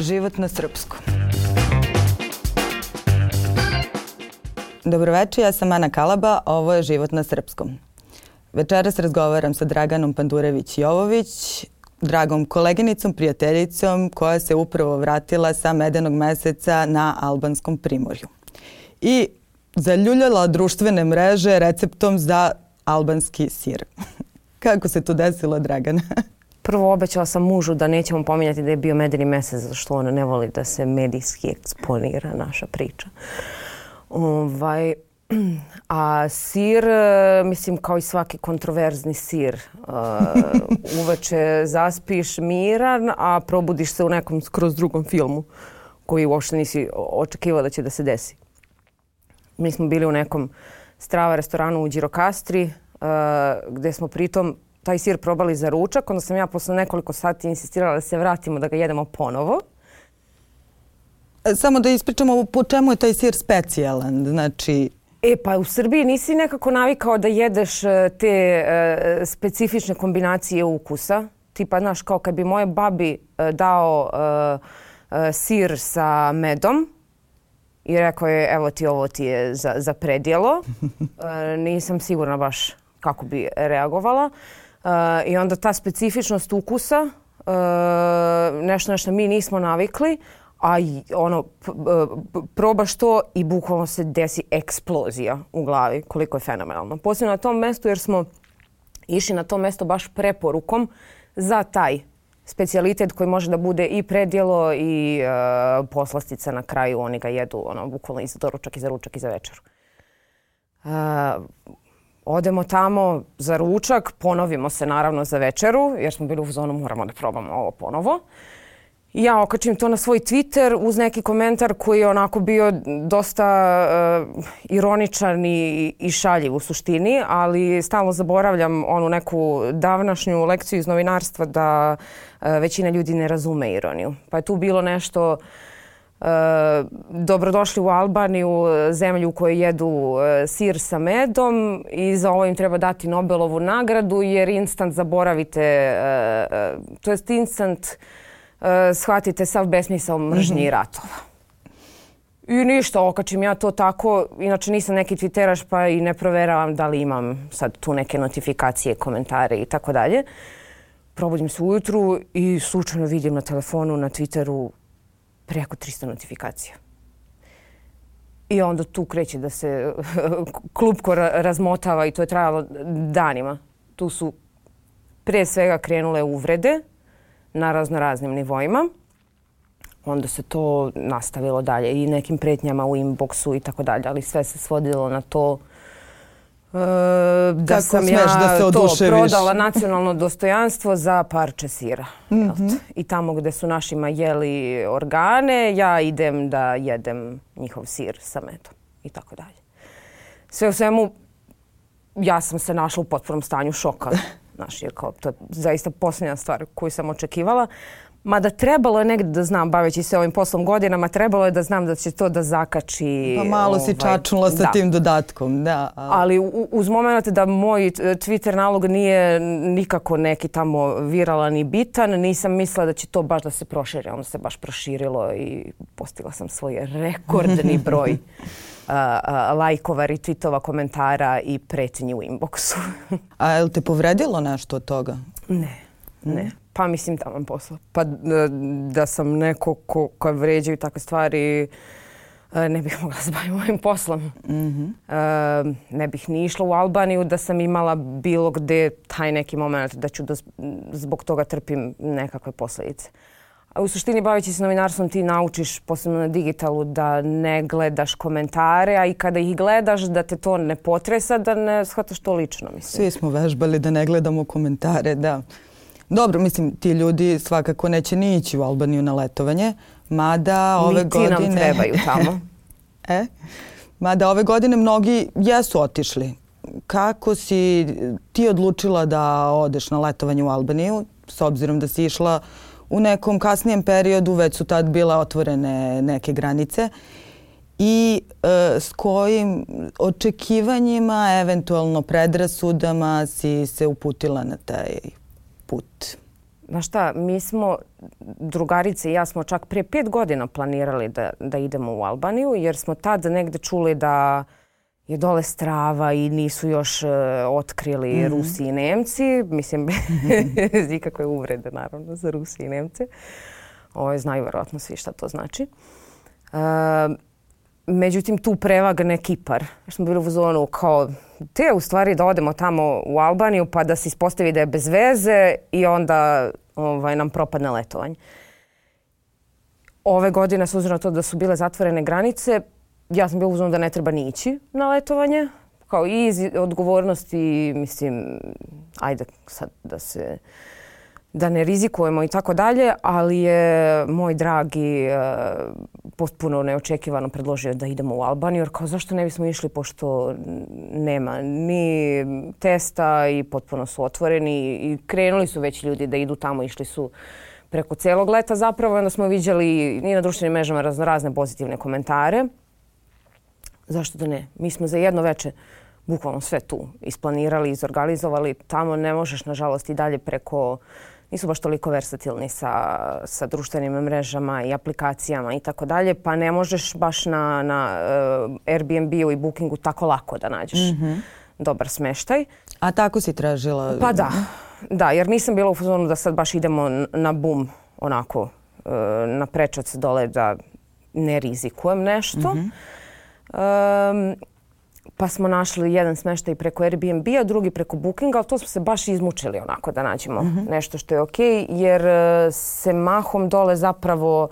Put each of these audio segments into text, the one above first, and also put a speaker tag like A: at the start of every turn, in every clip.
A: Život na srpskom. Dobroveče, ja sam Ana Kalaba, a ovo je Život na srpskom. Večeras razgovaram sa Draganom Pandurević-Jovović, dragom koleginicom, prijateljicom koja se upravo vratila sa Medenog meseca na albanskom primorju. I zaljuljala društvene mreže receptom za albanski sir. Kako se to desilo, Dragana?
B: Prvo obećala sam mužu da nećemo pominjati da je bio Medeni mesec, zato što on ne voli da se medijski eksponira naša priča. A sir, mislim kao i svaki kontroverzni sir, uveče zaspiš miran, a probudiš se u nekom skroz drugom filmu koji uopšte nisi očekivao da će da se desi. Mi smo bili u nekom strava restoranu u Đirokastri, gde smo pritom taj sir probali za ručak. Onda sam ja posle nekoliko sati insistirala da se vratimo da ga jedemo ponovo.
A: Samo da ispričamo po čemu je taj sir specijalan, znači...
B: Pa u Srbiji nisi nekako navikao da jedeš te specifične kombinacije ukusa. Tipa, znaš, kao kad bi moje babi dao sir sa medom i rekao je, evo ti, ovo ti je za predjelo. Nisam sigurna baš kako bi reagovala. I onda ta specifičnost ukusa, nešto na što mi nismo navikli, a probaš to i bukvalno se desi eksplozija u glavi, koliko je fenomenalno. Posebno na tom mestu jer smo išli na to mesto baš preporukom za taj specijalitet koji može da bude i predjelo i poslastica na kraju. Oni ga jedu bukvalno i za doručak i za ručak i za večeru. Odemo tamo za ručak, ponovimo se naravno za večeru jer smo bili u zonu moramo da probamo ovo ponovo. I ja okačim to na svoj Twitter uz neki komentar koji je onako bio dosta ironičan i šaljiv u suštini, ali stalno zaboravljam onu neku davnašnju lekciju iz novinarstva da većina ljudi ne razume ironiju. Pa je tu bilo nešto dobrodošli u Albaniju, zemlju u kojoj jedu sir sa medom i za ovo im treba dati Nobelovu nagradu jer instant zaboravite, to jest instant shvatite sav besmisao mržnje i ratova. I ništa, okačim ja to tako. Inače nisam neki twitteraš pa i ne proveravam da li imam sad tu neke notifikacije, komentare i tako dalje. Probudim se ujutru i slučajno vidim na telefonu, na Twitteru preko 300 notifikacija. I onda tu kreće da se klupko razmotava i to je trajalo danima. Tu su pre svega krenule uvrede na raznoraznim nivoima. Onda se to nastavilo dalje i nekim pretnjama u inboxu i tako dalje, ali sve se svodilo na to da sam ja to prodala nacionalno dostojanstvo za parče sira. I tamo gde su našima jeli organe, ja idem da jedem njihov sir sa medom i tako dalje. Sve u svemu, ja sam se našla u potpunom stanju šoka. Znaš, jer kao, to je zaista posljednja stvar koju sam očekivala. Mada trebalo je negdje da znam, baveći se ovim poslom godinama, trebalo je da znam da će to da zakači...
A: Pa malo si čačnula sa tim dodatkom, da.
B: Ali uz moment da moj Twitter nalog nije nikako neki tamo viralan i bitan, nisam mislila da će to baš da se proširi. Onda se baš proširilo i postigla sam svoj rekordni broj lajkova, retweetova, komentara i pretnji u inboxu.
A: A je li te povredilo nešto od toga?
B: Ne. Pa mislim taman posla. Pa da sam neko ko vređaju takve stvari, ne bih mogla se baviti ovim poslom. Ne bih ni išla u Albaniju da sam imala bilo gde taj neki moment da ću zbog toga trpim nekakve posljedice. A u suštini baveći se novinarstvom ti naučiš, posebno na digitalu, da ne gledaš komentare, a i kada ih gledaš da te to ne potresa, da ne shvataš to lično. Mislim.
A: Svi smo vežbali da ne gledamo komentare, da. Dobro, mislim, ti ljudi svakako neće ni ići u Albaniju na letovanje, mada ove godine...
B: Niti nam trebaju tamo.
A: Mada ove godine mnogi jesu otišli. Kako si ti odlučila da odeš na letovanje u Albaniju, s obzirom da si išla u nekom kasnijem periodu, već su tad bile otvorene neke granice, i s kojim očekivanjima, eventualno predrasudama si se uputila na taj put?
B: Znaš šta, mi smo, drugarice i ja smo čak prije 5 godina planirali da idemo u Albaniju, jer smo tad negde čuli da je dole strava i nisu još otkrili Rusi i Nemci. Mislim, bez ikakve uvrede, naravno, za Rusi i Nemce. Znaju verovatno svi šta to znači. Međutim, tu prevagne Kipar. Smo bili u zonu kao te u stvari da odemo tamo u Albaniju pa da se ispostavi da je bez veze i onda nam propadne letovanje. Ove godine, s obzirom na to da su bile zatvorene granice, ja sam bila u zonu da ne treba ni ići na letovanje. Kao i iz odgovornosti, mislim, ajde sad da ne rizikujemo i tako dalje, ali je moj dragi potpuno neočekivano predložio da idemo u Albaniju, jer kao zašto ne bismo išli pošto nema ni testa i potpuno su otvoreni i krenuli su već ljudi da idu tamo, išli su preko celog leta zapravo. Onda smo viđali i na društvenim mrežama razne pozitivne komentare. Zašto da ne? Mi smo za jedno veče bukvalno sve tu isplanirali, izorganizovali. Tamo ne možeš, nažalost, i dalje preko... Nisu baš toliko versatilni sa društvenim mrežama i aplikacijama i tako dalje, pa ne možeš baš na Airbnb-u i Bookingu tako lako da nađeš dobar smeštaj.
A: A tako si tražila?
B: Pa da, jer nisam bila u fazonu da sad baš idemo na bum, onako, na prečac dole da ne rizikujem nešto. Pa smo našli jedan smeštaj preko Airbnb-a, drugi preko Bookinga, ali to smo se baš izmučili onako da nađemo nešto što je okej, jer se mahom dole zapravo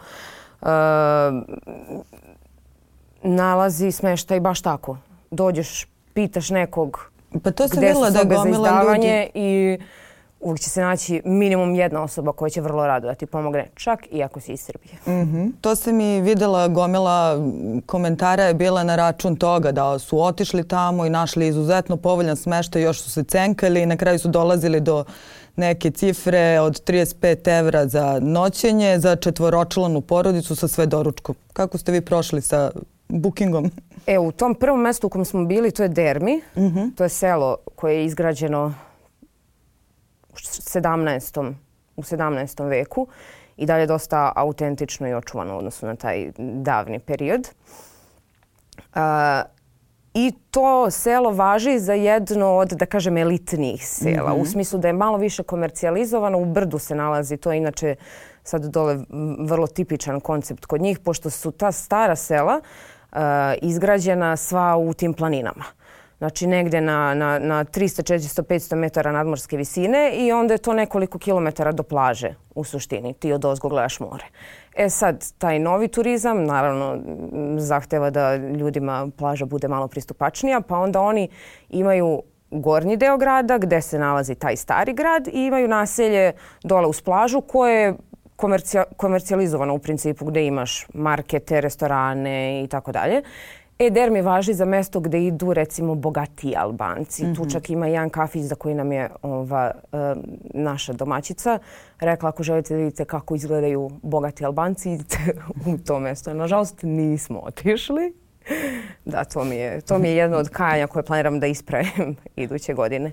B: nalazi smeštaj baš tako. Dođeš, pitaš nekog
A: pa to
B: gde su sobe za izdavanje i uvijek će se naći minimum jedna osoba koja će vrlo rado da ti pomogne, čak i ako si iz Srbije.
A: To se mi vidjela, gomila komentara je bila na račun toga da su otišli tamo i našli izuzetno povoljan smeštaj, još su se cenkali i na kraju su dolazili do neke cifre od 35 evra za noćenje, za četvoročlanu porodicu sa sve doručkom. Kako ste vi prošli sa Bookingom?
B: U tom prvom mjestu u kojem smo bili, to je Dermi. To je selo koje je izgrađeno u 17. veku i dalje dosta autentično i očuvano u odnosu na taj davni period. I to selo važi za jedno od, da kažem, elitnijih sela. U smislu da je malo više komercijalizovano. U brdu se nalazi, to je inače sad dole vrlo tipičan koncept kod njih, pošto su ta stara sela izgrađena sva u tim planinama. Znači negdje na 300, 400, 500 metara nadmorske visine i onda je to nekoliko kilometara do plaže u suštini. Ti odozgo gledaš more. Sad, taj novi turizam naravno zahteva da ljudima plaža bude malo pristupačnija, pa onda oni imaju gornji deo grada gdje se nalazi taj stari grad i imaju naselje dole uz plažu koje je komercijalizovano u principu, gdje imaš markete, restorane i tako dalje. Dermi važi za mjesto gdje idu recimo bogatiji Albanci. Tu čak ima jedan kafić za koji nam je naša domaćica rekla ako želite da vidite kako izgledaju bogati Albanci, idite u to mjesto. Nažalost nismo otišli. Da, to mi je jedno od kajanja koje planiram da ispravim iduće godine.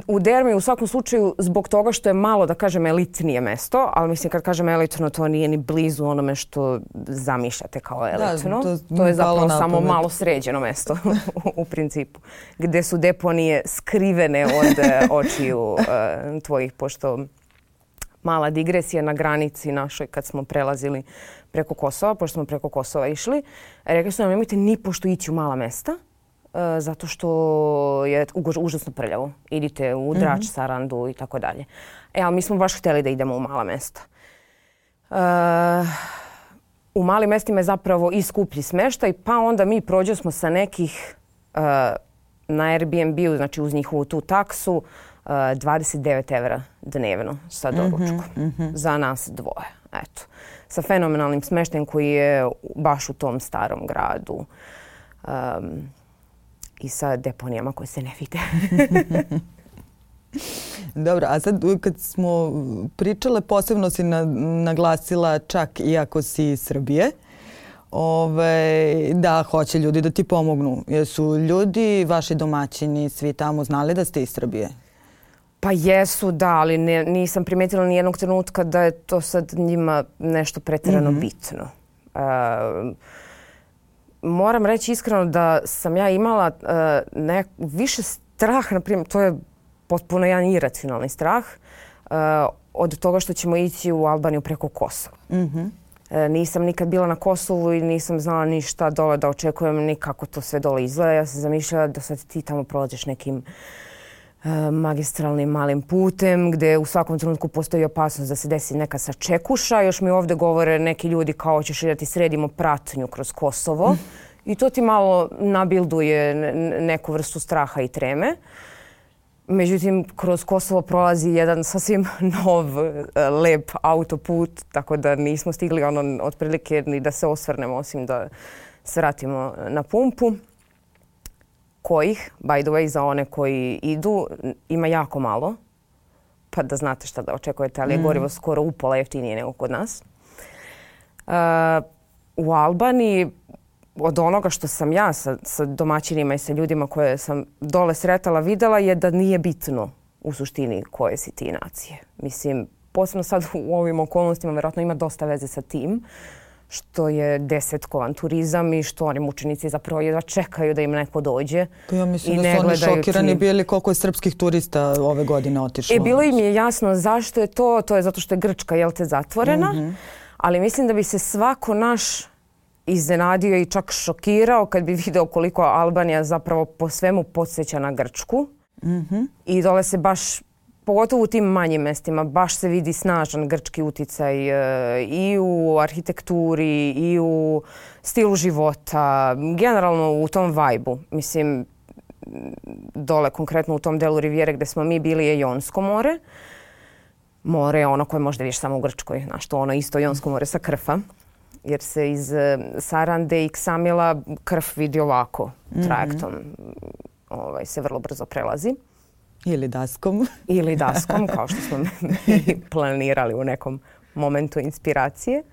B: U Dermi u svakom slučaju zbog toga što je malo, da kažem, elitnije mesto, ali mislim kad kažem elitno to nije ni blizu onome što zamišljate kao elitno. To je zapravo samo malo sređeno mesto u principu, gdje su deponije skrivene od očiju tvojih, pošto mala digresija na granici našoj kad smo prelazili preko Kosova, pošto smo preko Kosova išli, rekli su nam nemojte ni pošto ići u mala mesta, zato što je užasno prljavo. Idite u Drač, Sarandu i tako dalje. Ali mi smo baš htjeli da idemo u mala mesta. U malim mestima je zapravo i skuplji smeštaj, pa onda mi prođemo sa nekih na Airbnb-u, znači uz njihovu tu taksu, 29 evra dnevno sa doručkom. Za nas dvoje. Eto. Sa fenomenalnim smeštajem koji je baš u tom starom gradu. I sa deponijama koje se ne vide.
A: Dobro, a sad kad smo pričale, posebno si naglasila čak iako si iz Srbije, da hoće ljudi da ti pomognu. Jesu ljudi, vaši domaćini, svi tamo znali da ste iz Srbije?
B: Pa jesu, da, ali nisam primetila ni jednog trenutka da je to sad njima nešto pretjerano bitno. Moram reći iskreno da sam ja imala više strah, na primjer, to je potpuno jedan iracionalni strah, od toga što ćemo ići u Albaniju preko Kosova. Nisam nikad bila na Kosovu i nisam znala ništa dole da očekujem, ni kako to sve dole izgleda. Ja sam zamišljala da sad ti tamo prolaziš nekim magistralnim malim putem gdje u svakom trenutku postoji opasnost da se desi neka sačekuša. Još mi ovdje govore neki ljudi kao ćeš da ti sredimo pratnju kroz Kosovo i to ti malo nabilduje neku vrstu straha i treme. Međutim, kroz Kosovo prolazi jedan sasvim nov, lep autoput, tako da nismo stigli otprilike ni da se osvrnemo, osim da se vratimo na pumpu. Kojih, by the way, za one koji idu, ima jako malo, pa da znate šta da očekujete, ali je gorivo skoro upola jeftinije nego kod nas. U Albaniji, od onoga što sam ja sa domaćinima i sa ljudima koje sam dole sretala videla je da nije bitno u suštini koje si ti nacije. Mislim, posebno sad u ovim okolnostima vjerojatno ima dosta veze sa tim što je desetkovan turizam i što oni mučenici zapravo jedva čekaju da im neko dođe.
A: Pa ja mislim da su oni šokirani bili koliko je srpskih turista ove godine otišlo.
B: Bilo im je jasno zašto je to. To je zato što je Grčka, zatvorena. Ali mislim da bi se svako naš iznenadio i čak šokirao kad bi video koliko Albanija zapravo po svemu podsjeća na Grčku. I dole se baš, pogotovo u tim manjim mestima, baš se vidi snažan grčki uticaj i u arhitekturi i u stilu života, generalno u tom vajbu. Mislim, dole konkretno u tom delu Rivijere gdje smo mi bili je Jonsko more. More je ono koje možda vidiš samo u Grčkoj, znaš to ono isto Jonsko more sa Krfa. Jer se iz Sarande i Ksamila Krf vidi ovako trajektom. Se vrlo brzo prelazi.
A: Ili daskom.
B: Ili daskom, kao što smo mi planirali u nekom momentu inspiracije.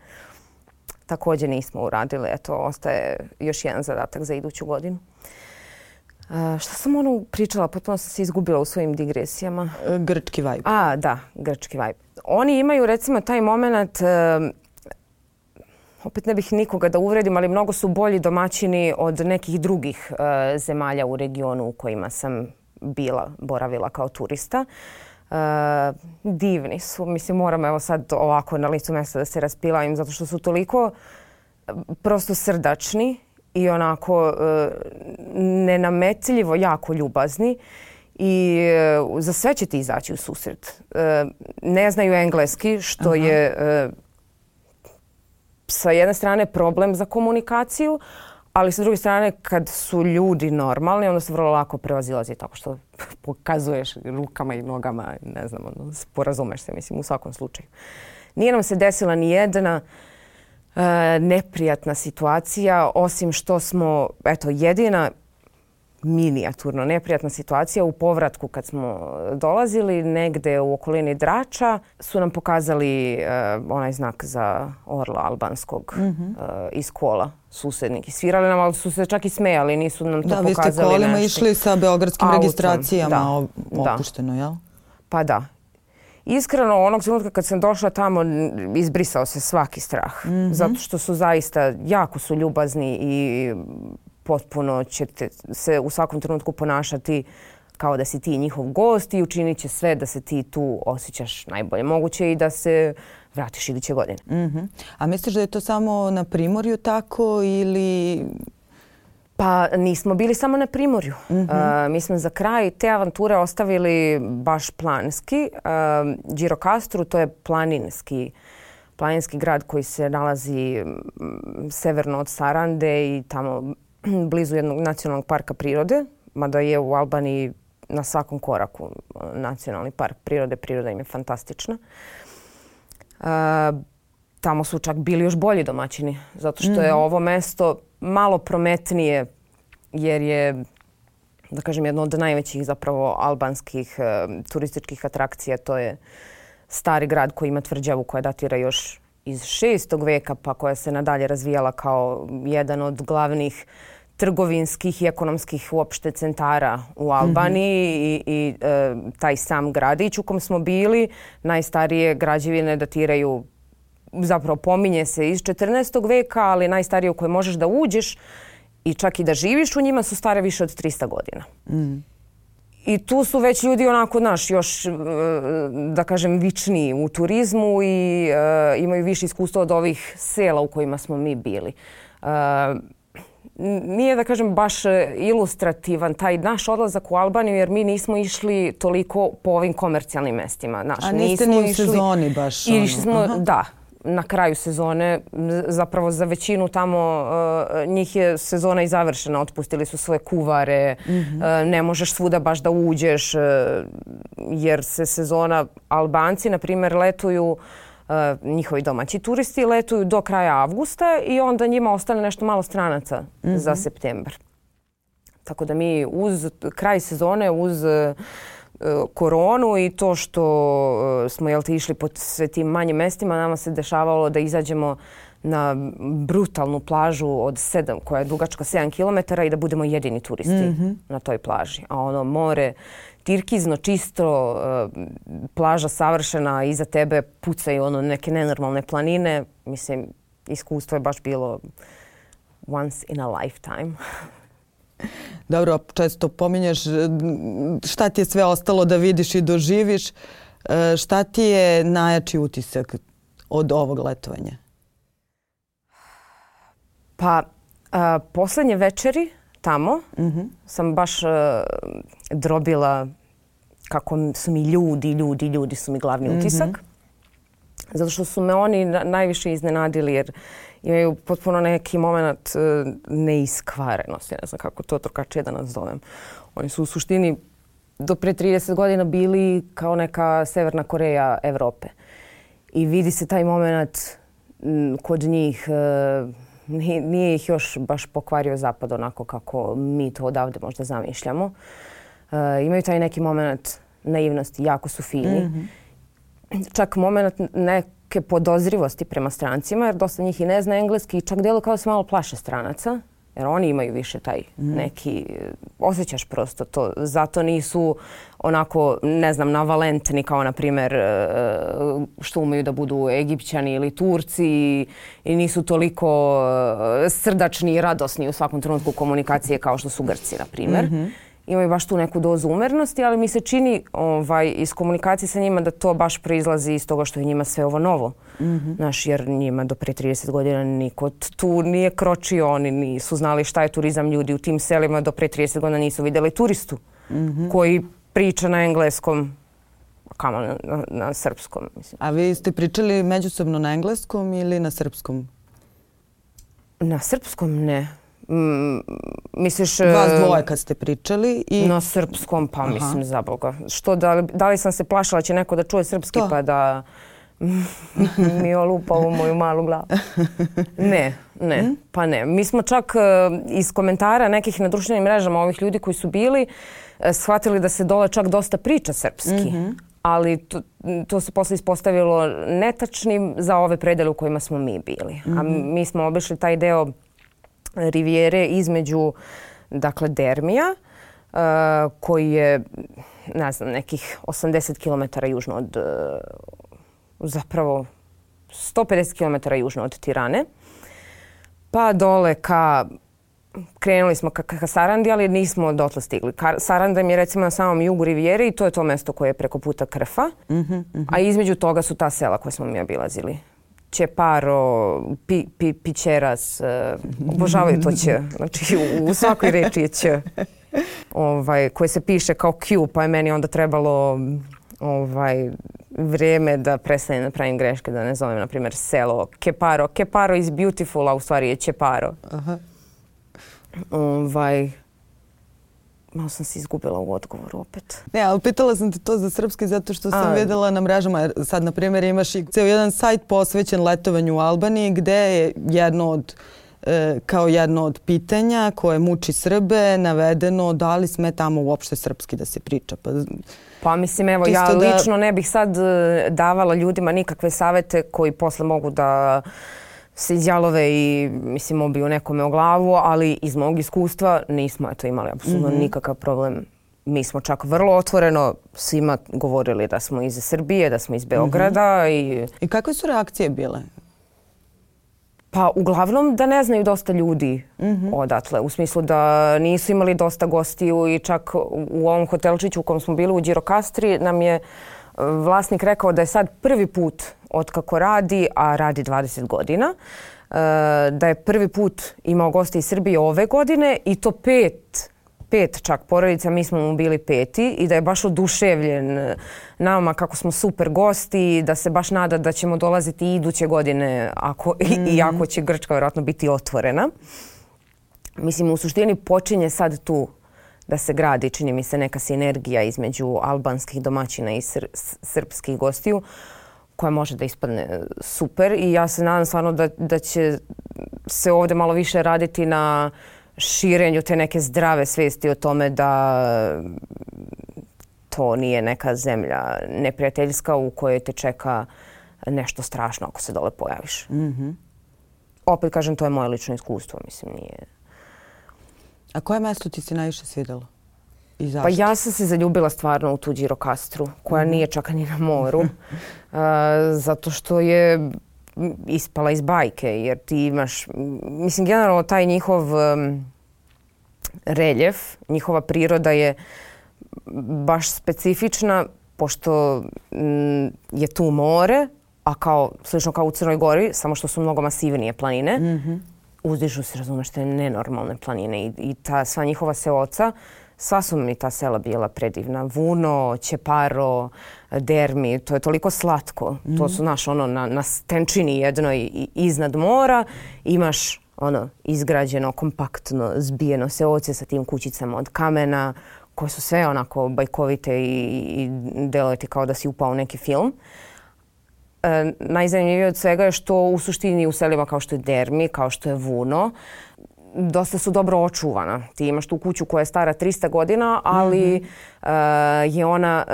B: Također nismo uradili. Eto, ostaje još jedan zadatak za iduću godinu. Šta sam pričala? Potpuno sam se izgubila u svojim digresijama.
A: Grčki vibe.
B: Da, grčki vibe. Oni imaju recimo taj moment, opet ne bih nikoga da uvredim, ali mnogo su bolji domaćini od nekih drugih zemalja u regionu u kojima sam boravila kao turista. Divni su. Mislim, moram evo sad ovako na licu mjesta da se raspilavim zato što su toliko prosto srdačni i onako nenametljivo jako ljubazni i za sve će ti izaći u susret. Ne znaju engleski, što je sa jedne strane problem za komunikaciju, ali sa druge strane kad su ljudi normalni, onda se vrlo lako prevazilazi tako što pokazuješ rukama i nogama, ne znam, sporazumeš se, mislim, u svakom slučaju. Nije nam se desila ni jedna neprijatna situacija, osim što smo, jedina minijaturno neprijatna situacija u povratku kad smo dolazili negde u okolini Drača su nam pokazali onaj znak za orla albanskog iz kola susednik. I svirali nam, ali su se čak i smejali, nisu nam to pokazali.
A: Da, vi ste kolima išli sa beogradskim registracijama opušteno, jel?
B: Pa da. Iskreno, onog trenutka kad sam došla tamo, izbrisao se svaki strah. Zato što su zaista, jako su ljubazni i potpuno ćete se u svakom trenutku ponašati kao da si ti njihov gost i učinit će sve da se ti tu osjećaš najbolje moguće i da se vratiš iduće godine.
A: A misliš da je to samo na Primorju tako ili...
B: Pa nismo bili samo na Primorju. Mi smo za kraj te avanture ostavili baš planski. Gjirokastru, to je planinski grad koji se nalazi severno od Sarande i tamo blizu jednog nacionalnog parka prirode, mada je u Albaniji na svakom koraku nacionalni park prirode. Priroda im je fantastična. Tamo su čak bili još bolji domaćini, zato što je ovo mesto malo prometnije, jer je, da kažem, jedno od najvećih zapravo albanskih turističkih atrakcija. To je stari grad koji ima tvrđavu koja datira još iz 6. veka, pa koja se nadalje razvijala kao jedan od glavnih trgovinskih i ekonomskih uopšte centara u Albaniji i taj sam gradić u kom smo bili. Najstarije građevine datiraju, zapravo pominje se iz 14. veka, ali najstarije u koje možeš da uđeš i čak i da živiš u njima su stare više od 300 godina. I tu su već ljudi onako, još, da kažem, vičniji u turizmu i imaju više iskustva od ovih sela u kojima smo mi bili. Nije, da kažem, baš ilustrativan taj naš odlazak u Albaniju, jer mi nismo išli toliko po ovim komercijalnim mestima.
A: A niste ni u sezoni baš?
B: Da. Na kraju sezone, zapravo za većinu tamo njih je sezona i završena. Otpustili su svoje kuvare, ne možeš svuda baš da uđeš jer se sezona, Albanci na primjer letuju, njihovi domaći turisti letuju do kraja avgusta i onda njima ostane nešto malo stranaca za septembar. Tako da mi uz kraj sezone, uz koronu i to što smo išli po sve tim manjim mestima, nama se dešavalo da izađemo na brutalnu plažu od 7, koja je dugačka 7 km i da budemo jedini turisti na toj plaži. A ono more tirkizno, čisto, plaža savršena, iza tebe pucaju neke nenormalne planine. Mislim, iskustvo je baš bilo once in a lifetime.
A: Dobro, često pominješ šta ti je sve ostalo da vidiš i doživiš. Šta ti je najjači utisak od ovog letovanja?
B: Pa, poslednje večeri tamo sam baš drobila kako su mi ljudi su mi glavni utisak. Zato što su me oni najviše iznenadili jer imaju potpuno neki moment neiskvarenosti, ne znam kako to drugačije da nazovem. Oni su u suštini do pre 30 godina bili kao neka Severna Koreja Evrope. I vidi se taj moment kod njih, nije ih još baš pokvario zapad onako kako mi to odavde možda zamišljamo. Imaju taj neki moment naivnosti, jako su fini. Čak moment neke podozrivosti prema strancima, jer dosta njih i ne zna engleski i čak delo kao se malo plaše stranaca, jer oni imaju više taj neki, osjećaš prosto to. Zato nisu onako, ne znam, navalentni kao, na primjer, što umeju da budu Egipćani ili Turci i nisu toliko srdačni i radosni u svakom trenutku komunikacije kao što su Grci, na primjer. Imaju baš tu neku dozu umernosti, ali mi se čini iz komunikacije sa njima da to baš proizlazi iz toga što je njima sve ovo novo. Jer njima do pre 30 godina niko tu nije kročio, oni nisu znali šta je turizam. Ljudi u tim selima do pre 30 godina nisu vidjeli turistu koji priča na engleskom, kamo na srpskom. Mislim.
A: A vi ste pričali međusobno na engleskom ili na srpskom?
B: Na srpskom ne. Misliš...
A: Vas dvoje kad ste pričali i...
B: Na srpskom, pa mislim, za Boga. Što, da li sam se plašila da će neko da čuje srpski pa da mi olupa u moju malu glavu? Ne, pa ne. Mi smo čak iz komentara nekih na društvenim mrežama ovih ljudi koji su bili shvatili da se dole čak dosta priča srpski. Ali to se posle ispostavilo netačnim za ove predele u kojima smo mi bili. A mi smo obišli taj deo rivijere između, dakle, Dermija, koji je, ne znam, nekih 80 km južno od, zapravo 150 km južno od Tirane, pa dole krenuli smo ka Sarandi, ali nismo dotle stigli. Saranda je recimo na samom jugu rivijere i to je to mesto koje je preko puta Krfa, a između toga su ta sela koje smo mi obilazili. Ćeparo, Pićeras, obožavaju to Ć. Znači u svakoj reči je Ć. Koje se piše kao Q, pa je meni onda trebalo vrijeme da prestanem da pravim greške, da ne zovem, na primjer, selo Keparo. Keparo is beautiful, a u stvari je Ćeparo. Malo sam se izgubila u odgovoru opet.
A: Ne, ali pitala sam te to za srpski zato što sam vidjela na mrežama. Sad, na primjer, imaš i ceo jedan sajt posvećen letovanju u Albaniji gde je kao jedno od pitanja koje muči Srbe navedeno da li sme tamo uopšte srpski da se priča.
B: Pa mislim, evo, ja lično ne bih sad davala ljudima nikakve savete koji posle mogu da se izjalove i mislim obiju nekome o glavu, ali iz mog iskustva nismo imali apsolutno nikakav problem. Mi smo čak vrlo otvoreno svima govorili da smo iz Srbije, da smo iz Beograda.
A: I kakve su reakcije bile?
B: Pa uglavnom da ne znaju dosta ljudi odatle. U smislu da nisu imali dosta gostiju i čak u ovom hotelčiću u kom smo bili u Đirokastri nam je vlasnik rekao da je sad prvi put otkako radi, a radi 20 godina, da je prvi put imao goste iz Srbije ove godine i to pet čak porodica, mi smo mu bili 5. i da je baš oduševljen nama kako smo super gosti i da se baš nada da ćemo dolaziti i iduće godine iako će Grčka vjerojatno biti otvorena. Mislim, u suštini počinje sad tu da se gradi, čini mi se, neka sinergija između albanskih domaćina i srpskih gostiju koja može da ispadne super i ja se nadam stvarno da će se ovdje malo više raditi na širenju te neke zdrave svijesti o tome da to nije neka zemlja neprijateljska u kojoj te čeka nešto strašno ako se dole pojaviš. Opet kažem, to je moje lično iskustvo, mislim, nije...
A: A koje mjesto ti se najviše svidjelo? I zašto?
B: Pa ja sam se zaljubila stvarno u tu Đirokastru, koja nije čak ni na moru, zato što je ispala iz bajke, jer ti imaš, mislim, generalno taj njihov reljef, njihova priroda je baš specifična, pošto je tu more, a slično kao u Crnoj Gori, samo što su mnogo masivnije planine, uzdižu se, razumeš, te nenormalne planine i ta sva njihova seoca, sva su mi ta sela bila predivna. Vuno, Ćeparo, Dermi, to je toliko slatko. To su na stenčini jednoj iznad mora imaš izgrađeno, kompaktno, zbijeno seoce sa tim kućicama od kamena koje su sve onako bajkovite i deluje ti kao da si upao u neki film. Najzanimljivije od svega je što u suštini u selima kao što je Dermi, kao što je Vuno, dosta su dobro očuvana. Ti imaš tu kuću koja je stara 300 godina, ali je ona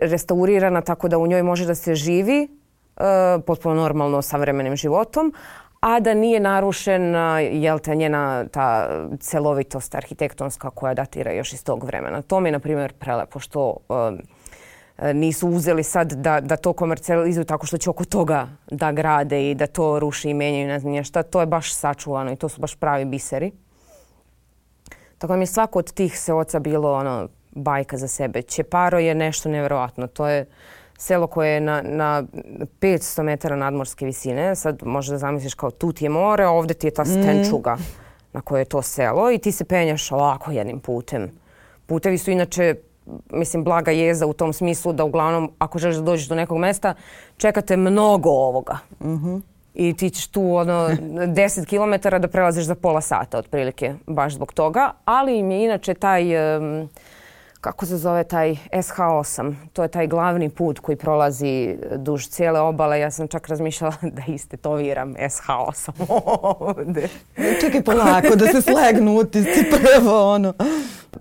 B: restaurirana tako da u njoj može da se živi potpuno normalno savremenim životom, a da nije narušena njena ta celovitost arhitektonska koja datira još iz tog vremena. To mi je, na primjer, prelepo što nisu uzeli sad da to komercijalizuju tako što će oko toga da grade i da to ruši i menjaju, ne znam šta. To je baš sačuvano i to su baš pravi biseri. Tako da mi je svako od tih seoca bilo bajka za sebe. Ćeparo je nešto nevjerovatno. To je selo koje je na 500 metara nadmorske visine. Sad možeš da zamisliš kao tu ti je more, a ovdje ti je ta stenčuga na kojoj je to selo i ti se penjaš ovako jednim putem. Putevi su inače, mislim, blaga jeza u tom smislu da uglavnom ako želiš da dođeš do nekog mesta čekate mnogo ovoga. I ti ćeš tu 10 km da prelaziš za pola sata otprilike, baš zbog toga. Ali im je inače taj, kako se zove, taj SH8. To je taj glavni put koji prolazi duž cijele obale. Ja sam čak razmišljala da istetoviram SH8 ovdje.
A: Čekaj polako da se slegnu utisci prvo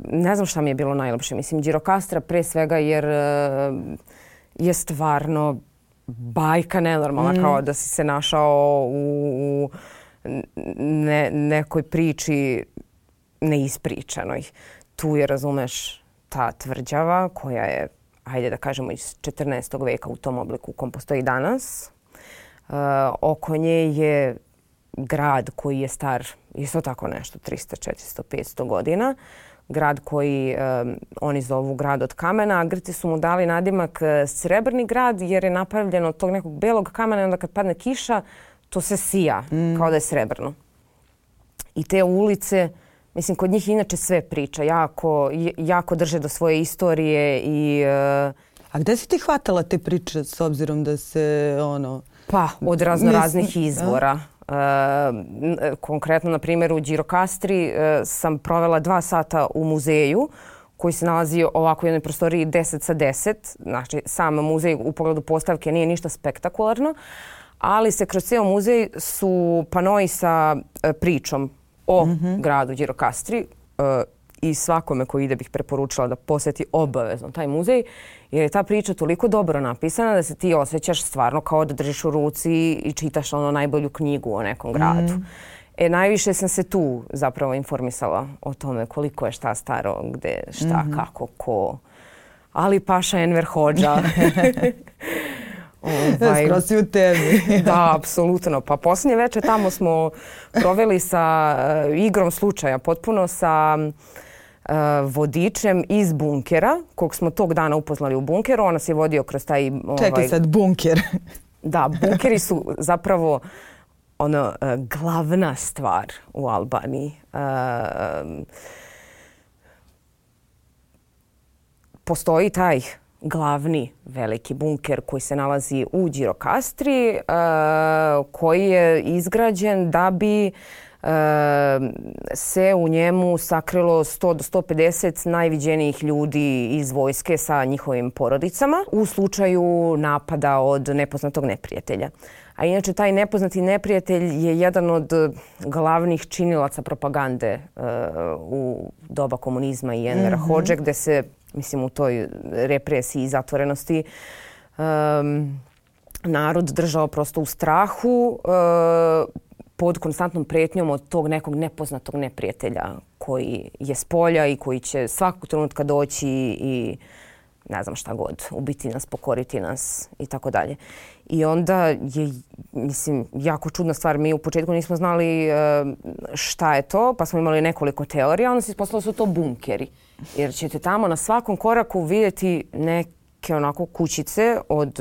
B: Ne znam šta mi je bilo najljepše. Mislim, Đirokastra pre svega jer je stvarno bajka nenormalna, kao da si se našao u nekoj priči neispričanoj. Tu je, razumeš, ta tvrđava koja je, hajde da kažemo, iz 14. veka u tom obliku u kom postoji danas. Oko nje je grad koji je star isto tako nešto, 300, 400, 500 godina. Grad koji oni zovu grad od kamena, a Grci su mu dali nadimak Srebrni grad jer je napravljeno od tog nekog belog kamena i onda kad padne kiša to se sija kao da je srebrno. I te ulice, mislim, kod njih inače sve priča, jako drže do svoje istorije i...
A: A gde si ti hvatala te priče s obzirom da se
B: Pa, od raznih izvora. Konkretno, na primjer, u Đirokastri sam provela 2 sata u muzeju koji se nalazi ovako u jednoj prostoriji 10 sa 10. Znači, sam muzej u pogledu postavke nije ništa spektakularno, ali se kroz cijel muzej su panoi sa pričom o gradu Đirokastri i svakome koji ide bih preporučila da posjeti obavezno taj muzej, jer je ta priča toliko dobro napisana da se ti osjećaš stvarno kao da držiš u ruci i čitaš ono najbolju knjigu o nekom gradu. Najviše sam se tu zapravo informisala o tome koliko je šta staro, gde, šta, kako, ko. Ali Paša Enver Hodža.
A: Skroz si u temi.
B: Da, apsolutno. Pa posljednje večer tamo smo proveli sa igrom slučaja, potpuno sa vodičem iz bunkera, kog smo tog dana upoznali u bunkeru. On nas je vodio kroz taj...
A: Čekaj sad, bunker.
B: Da, bunkeri su zapravo glavna stvar u Albaniji. Postoji taj glavni veliki bunker koji se nalazi u Gjirokastri, koji je izgrađen da bi se u njemu sakrilo 100 do 150 najviđenijih ljudi iz vojske sa njihovim porodicama u slučaju napada od nepoznatog neprijatelja. A inače, taj nepoznati neprijatelj je jedan od glavnih činilaca propagande u doba komunizma i Envera Hodže, gde se, mislim, u toj represiji i zatvorenosti narod držao prosto u strahu pod konstantnom pretnjom od tog nekog nepoznatog neprijatelja koji je s polja i koji će svakog trenutka doći i ne znam šta god, ubiti nas, pokoriti nas i tako dalje. I onda je, mislim, jako čudna stvar. Mi u početku nismo znali šta je to, pa smo imali nekoliko teorija, onda se ispostavilo da su to bunkeri. Jer ćete tamo na svakom koraku vidjeti neke onako kućice od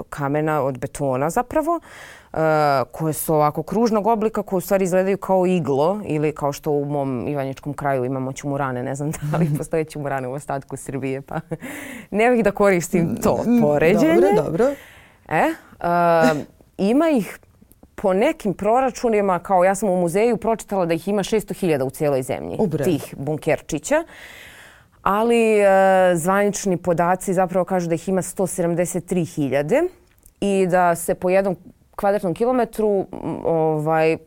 B: kamena, od betona zapravo, koje su ovako kružnog oblika, koje u stvari izgledaju kao iglo ili kao što u mom ivanjičkom kraju imamo ćumurane. Ne znam da li postoje ćumurane u ostatku Srbije, pa ne bih da koristim to poređenje.
A: Dobro.
B: Ima ih po nekim proračunima, kao ja sam u muzeju pročitala da ih ima 600.000 u cijeloj zemlji, tih bunkerčića. Ali zvanični podaci zapravo kažu da ih ima 173.000 i da se po jednom kvadratnom kilometru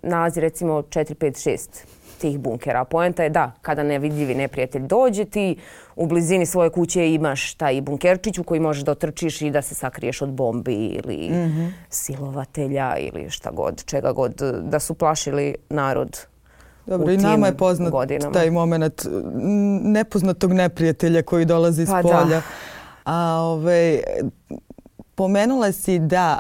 B: nalazi recimo 4, 5, 6 tih bunkera. Poenta je da kada nevidljivi neprijatelj dođe, ti u blizini svoje kuće imaš taj bunkerčić u koji možeš da otrčiš i da se sakriješ od bombi ili silovatelja ili šta god, čega god, da su plašili narod.
A: Dobro, i nama je poznat taj moment nepoznatog neprijatelja koji dolazi iz polja. Pomenula si da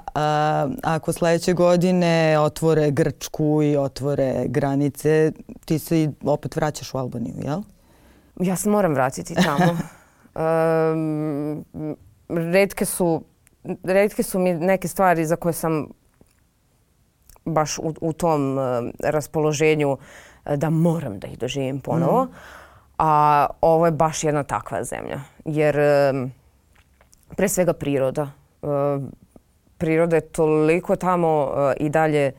A: ako sljedeće godine otvore Grčku i otvore granice, ti se opet vraćaš u Albaniju, jel?
B: Ja se moram vratiti tamo. Retke su mi neke stvari za koje sam baš u tom raspoloženju da moram da ih doživim ponovo. A ovo je baš jedna takva zemlja. Jer pre svega priroda. Priroda je toliko tamo i dalje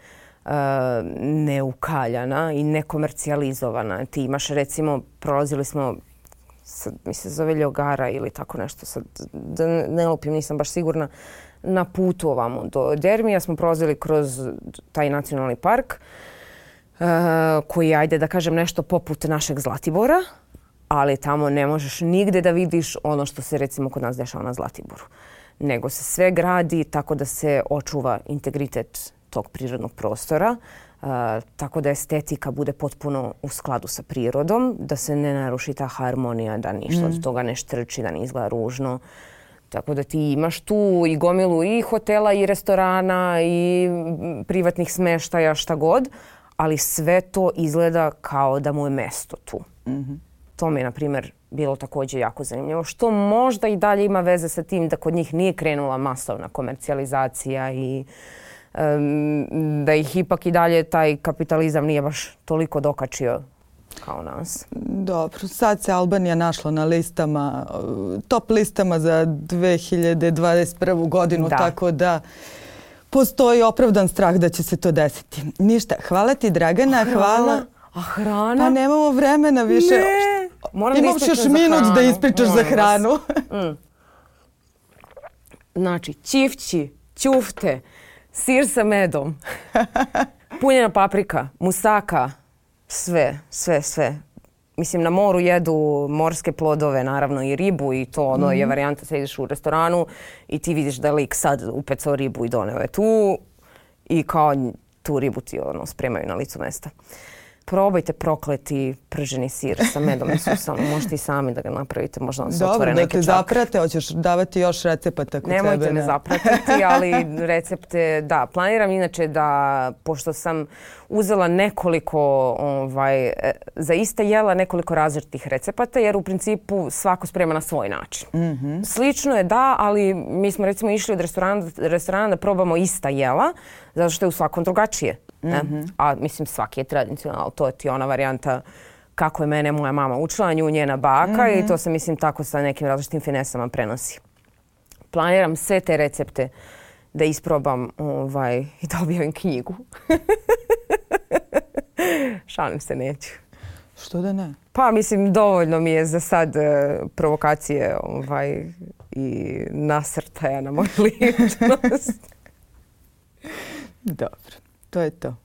B: neukaljana i nekomercijalizovana. Ti imaš, recimo, prolazili smo, mi se zove Ljogara ili tako nešto, sad da ne lupim, nisam baš sigurna, na putu ovamo do Dermija smo prolazili kroz taj nacionalni park koji je, ajde da kažem, nešto poput našeg Zlatibora, ali tamo ne možeš nigde da vidiš ono što se recimo kod nas dešava na Zlatiboru. Nego se sve gradi tako da se očuva integritet tog prirodnog prostora, tako da estetika bude potpuno u skladu sa prirodom, da se ne naruši ta harmonija, da ništa od toga ne štrči, da ne izgleda ružno. Tako da ti imaš tu i gomilu i hotela i restorana i privatnih smeštaja, šta god, ali sve to izgleda kao da mu je mesto tu. To mi je, na primjer, bilo također jako zanimljivo. Što možda i dalje ima veze sa tim da kod njih nije krenula masovna komercijalizacija i da ih ipak i dalje taj kapitalizam nije baš toliko dokačio kao nas.
A: Dobro, sad se Albanija našla na listama, top listama za 2021. godinu, tako da postoji opravdan strah da će se to desiti. Ništa, hvala ti, Dragana. Hvala.
B: A hrana?
A: Pa nemamo vremena više.
B: Ne.
A: Imaš još minut da ispričaš za hranu.
B: Znači, ćifći, ćufte, sir sa medom, punjena paprika, musaka, sve. mislim, na moru jedu morske plodove, naravno i ribu i to ono je varijanta, sad ideš u restoranu i ti vidiš da je lik sad upecao ribu i doneo je tu i kao tu ribu ti ono spremaju na licu mesta. Probajte prokleti prženi sir sa medom i susom. Možete i sami da ga napravite, možda vam se otvore neke čak.
A: Dobro, da te zaprate, hoćeš davati još recepata kod
B: Nemojte
A: tebe.
B: Nemojte me zapratiti, ali recepte, da, planiram inače da, pošto sam uzela nekoliko, za ista jela nekoliko različitih recepata, jer u principu svako sprema na svoj način. Slično je da, ali mi smo recimo išli od restorana da probamo ista jela, zato što je u svakom drugačije. A mislim svaki je tradicionalan, to je ti ona varijanta kako je mene moja mama učila, nju njena baka i to se mislim tako sa nekim različitim finesama prenosi. Planiram sve te recepte da isprobam i da objavim knjigu. Šalim se, neću.
A: Što da ne?
B: Pa mislim dovoljno mi je za sad provokacije i nasrtaja na moju ličnost.
A: Dobro, to je to.